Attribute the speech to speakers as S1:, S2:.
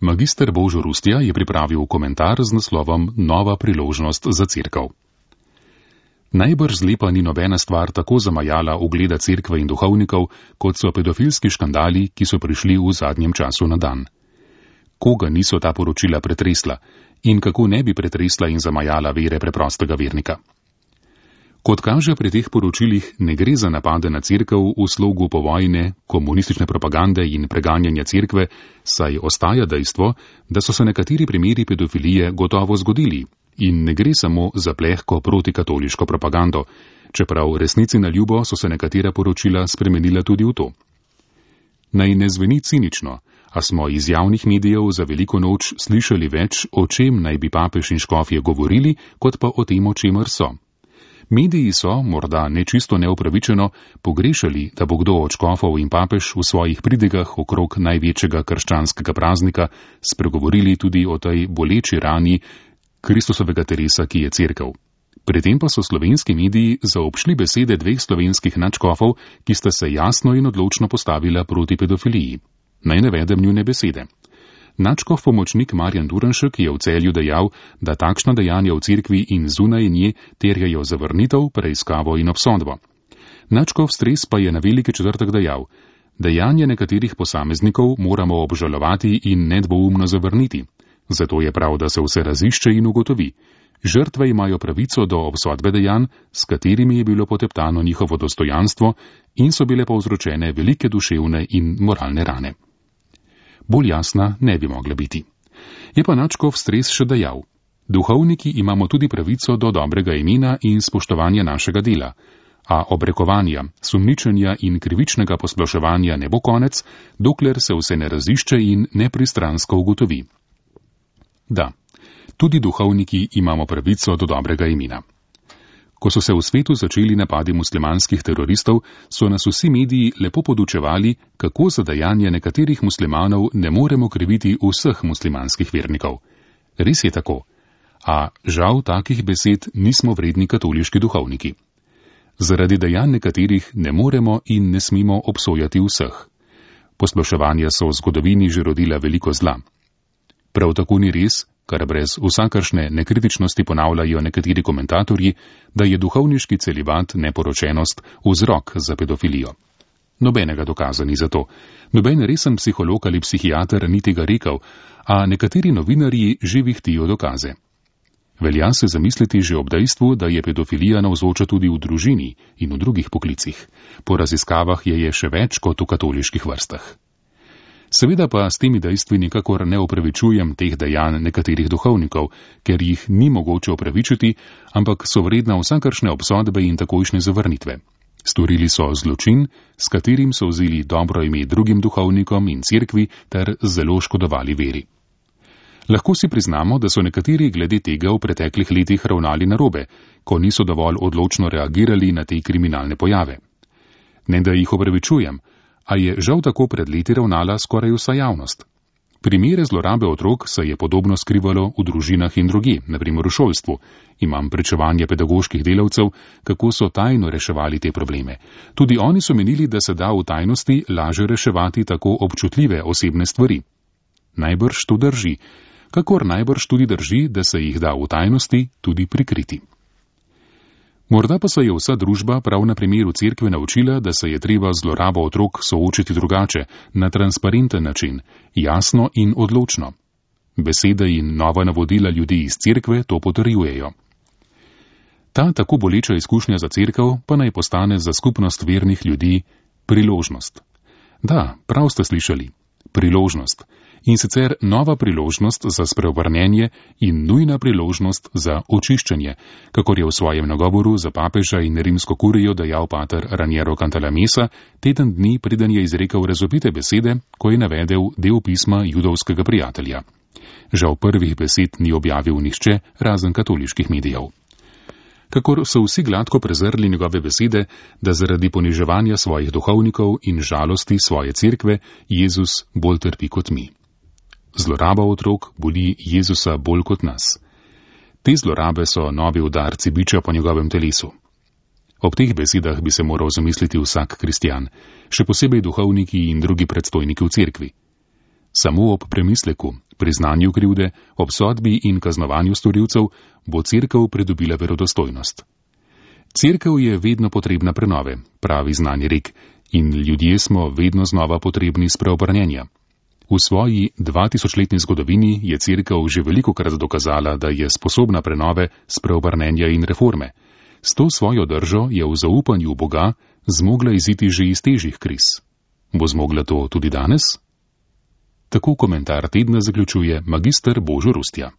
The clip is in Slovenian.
S1: Magister Božo Rustja je pripravil komentar z naslovom Nova priložnost za cerkev. Najbrž zlepa ni nobena stvar tako zamajala ugleda cerkve in duhovnikov, kot so pedofilski škandali, ki so prišli v zadnjem času na dan. Koga niso ta poročila pretresla in kako ne bi pretresla in zamajala vere preprostega vernika? Kot kaže pri teh poročilih, ne gre za napade na cerkev v slogu povojne, komunistične propagande in preganjanja cerkve, saj ostaja dejstvo, da so se nekateri primeri pedofilije gotovo zgodili in ne gre samo za plehko protikatoliško propagando, čeprav resnici na ljubo so se nekatera poročila spremenila tudi v to. Naj ne zveni cinično, a smo iz javnih medijev za veliko noč slišali več, o čem naj bi papež in škofje govorili, kot pa o tem, o čemer so. Mediji so, morda nečisto neupravičeno, pogrešali, da bo kdo od škofov in papež v svojih pridigah okrog največjega krščanskega praznika spregovorili tudi o tej boleči rani Kristusovega telesa, ki je cerkev. Pri tem pa so slovenski mediji zaobšli besede dveh slovenskih nadškofov, ki sta se jasno in odločno postavila proti pedofiliji. Naj navedem njune besede. Nadškof pomočnik Marjan Duranšek je v Celju dejal, da takšna dejanja v cerkvi in zunaj nje terjajo zavrnitev, preiskavo in obsodbo. Nadškof Stres pa je na Veliki četrtek dejal, dejanja nekaterih posameznikov moramo obžalovati in nedvoumno zavrniti. Zato je prav, da se vse razišče in ugotovi. Žrtve imajo pravico do obsodbe dejanj, s katerimi je bilo poteptano njihovo dostojanstvo in so bile povzročene velike duševne in moralne rane. Bolj jasna ne bi mogla biti. Je pa nadškof Stres še dejal, duhovniki imamo tudi pravico do dobrega imena in spoštovanja našega dela, a obrekovanja, sumničenja in krivičnega posploševanja ne bo konec, dokler se vse ne razišče in nepristransko ugotovi. Da, tudi duhovniki imamo pravico do dobrega imena. Ko so se v svetu začeli napadi muslimanskih teroristov, so nas vsi mediji lepo podučevali, kako za dejanje nekaterih muslimanov ne moremo kriviti vseh muslimanskih vernikov. Res je tako, a žal takih besed nismo vredni katoliški duhovniki. Zaradi dejanj nekaterih ne moremo in ne smemo obsojati vseh. Posploševanja so v zgodovini že rodila veliko zla. Prav tako ni res, kar brez vsakršne nekritičnosti ponavljajo nekateri komentatorji, da je duhovniški celibat, neporočenost, vzrok za pedofilijo. Nobenega dokaza ni za to. Noben resen psiholog ali psihiater ni tega rekel, a nekateri novinarji že vihtijo dokaze. Velja se zamisliti že ob dejstvu, da je pedofilija navzoča tudi v družini in v drugih poklicih. Po raziskavah je še več kot v katoliških vrstah. Seveda pa s temi dejstvi nikakor ne opravičujem teh dejanj nekaterih duhovnikov, ker jih ni mogoče opravičiti, ampak so vredna vsakršne obsodbe in takojšnje zavrnitve. Storili so zločin, s katerim so vzeli dobro ime drugim duhovnikom in cerkvi ter zelo škodovali veri. Lahko si priznamo, da so nekateri glede tega v preteklih letih ravnali narobe, ko niso dovolj odločno reagirali na te kriminalne pojave. Ne da jih opravičujem, a je žal tako pred leti ravnala skoraj vsa javnost. Primere zlorabe otrok se je podobno skrivalo v družinah in drugje, naprimer v šolstvu. Imam pričevanje pedagoških delavcev, kako so tajno reševali te probleme. Tudi oni so menili, da se da v tajnosti laže reševati tako občutljive osebne stvari. Najbrž to drži, kakor najbrž tudi drži, da se jih da v tajnosti tudi prikriti. Morda pa se je vsa družba prav na primeru cerkve naučila, da se je treba zlorabo otrok soočiti drugače, na transparenten način, jasno in odločno. Besede in nova navodila ljudi iz cerkve to potrjujejo. Ta tako boleča izkušnja za cerkev pa naj postane za skupnost vernih ljudi priložnost. Da, prav ste slišali, priložnost. In sicer nova priložnost za spreobrnenje in nujna priložnost za očiščenje, kakor je v svojem nagovoru za papeža in rimsko kurijo dejal pater Raniero Cantalamessa teden dni, preden je izrekel razvpite besede, ko je navedel del pisma judovskega prijatelja. Žal prvih besed ni objavil nihče, razen katoliških medijev. Kakor so vsi gladko prezrli njegove besede, da zaradi poniževanja svojih duhovnikov in žalosti svoje cerkve Jezus bolj trpi kot mi. Zloraba otrok boli Jezusa bolj kot nas. Te zlorabe so novi udarci biča po njegovem telesu. Ob teh besedah bi se moral zamisliti vsak kristjan, še posebej duhovniki in drugi predstojniki v cerkvi. Samo ob premisleku, priznanju krivde, obsodbi in kaznovanju storilcev bo Cerkev pridobila verodostojnost. Cerkev je vedno potrebna prenove, pravi znani rek, in ljudje smo vedno znova potrebni spreobrnjenja. V svoji 2000-letni zgodovini je Cerkev že velikokrat dokazala, da je sposobna prenove, spreobrnenja in reforme. S to svojo držo je v zaupanju v Boga zmogla iziti že iz težjih kriz. Bo zmogla to tudi danes? Tako komentar tedna zaključuje magister Božo Rustja.